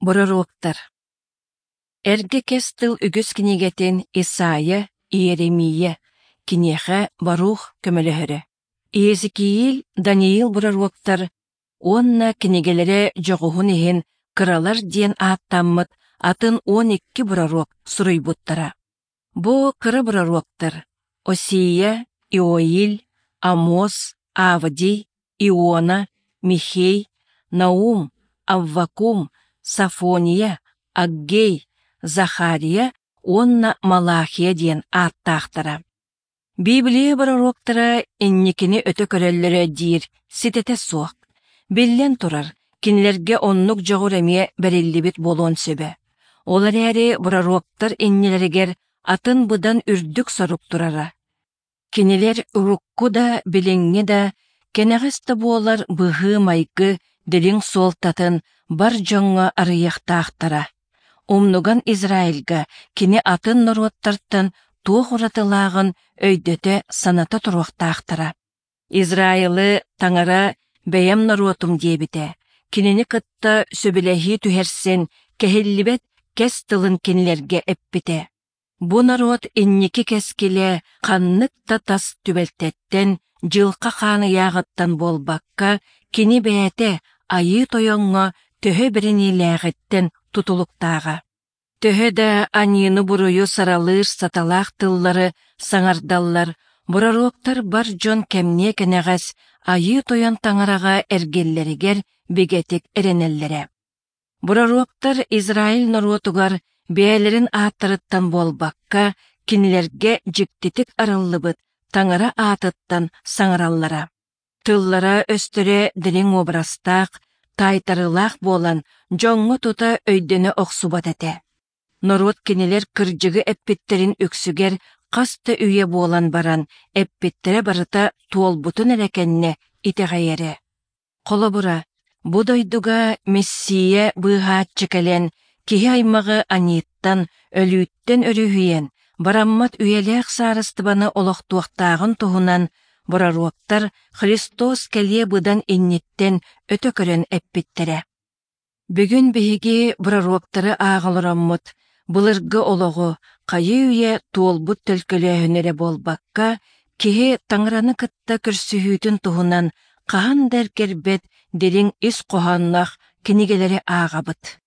Бороруоктар Эргэ Кэс Тыл үгүс кинигэтин Исайя, Иеремия, киниэхэ Барух көмөлөһөрө. Иезекииль, Даниил бороруоктар уонна кинигэлэрэ дьоҕуһун иһин кыралар диэн ааттаммыт атын 12 бороруок суруйбуттара. Бу кыра бороруоктар Осия, Иоиль, Амос, Авдий, Иона, Михей, Наум, Аввакум, Сафония, Аггей, Захария уонна Малахия диэн ааттаахтара. Библия бороруоктара инникини өтө көрөллөрө диир ситэтэ суох. Биллэн турар, кинилэргэ оннук дьоҕур эмиэ бэриллибит буолуон сөбө. Ол эрээри бороруоктар иннилэригэр атын быдан үрдүк сорук турара. Кинилэр урукку да, билиҥҥи да, кэнэҕэс да буолар быһыы-майгы дириҥ суолтатын бар дьоҥҥо арыйыахтаахтара. Умнуган Израильга кини атын норуоттартан туох уратылааҕын өйдөтө саната туруохтаахтара. Израилы Таҥара бэйэм норуотум диэбитэ, кинини кытта сөбүлэһии түһэрсэн, кэһиллибэт кэс тылын кинилэргэ эппитэ. Бу норуот инники кэскилэ ханнык да тас түбэлтэттэн, дьылҕа хаан ыйааҕыттан буолбакка, кини бэйэтэ Айыы Тойоҥҥо төһө бэриниилээҕиттэн тутулуктааҕа. Төһө да аньыыны-буруйу саралыыр саталаах тыллары саҥардаллар, бороруоктар бар дьон кэмниэ кэнэҕэс Айыы Тойон Таҥараҕа эргиллэригэр бигэтик эрэнэллэрэ. Бороруоктар Израиль норуотугар бэйэлэрин ааттарыттан буолбакка, кинилэргэ дьиктитик арыллыбыт Таҥара аатыттан саҥараллара. Тыллара-өстөрө дириҥ уобарастаах, таайтарыылаах буолан, дьоҥҥо тута өйдөнө охсубат этэ. Норуот кинилэр кырдьыгы эппиттэрин үксүгэр хас да үйэ буолан баран, эппиттэрэ барыта туолбутун эрэ кэннэ итэҕэйэрэ. Холобура, бу дойдуга Мессия быыһааччы кэлэн, киһи аймаҕы аньыыттан, өлүүттэн өрүһүйэн, бараммат үйэлээх саарыстыбаны олохтуохтааҕын туһунан бороруоктар Христос кэлиэ быдан инниттэн өтө көрөн эппиттэрэ. Бүгүн биһиги бороруоктары ааҕа олороммут, былыргы олоҕу, хайыы-үйэ туолбут төлкөлөөһүнү эрэ буолбакка, киһи Таҥараны кытта көрсүһүүтүн туһунан хаһан да эргэрбэт дириҥ ис хоһоонноох кинигэлэри ааҕабыт.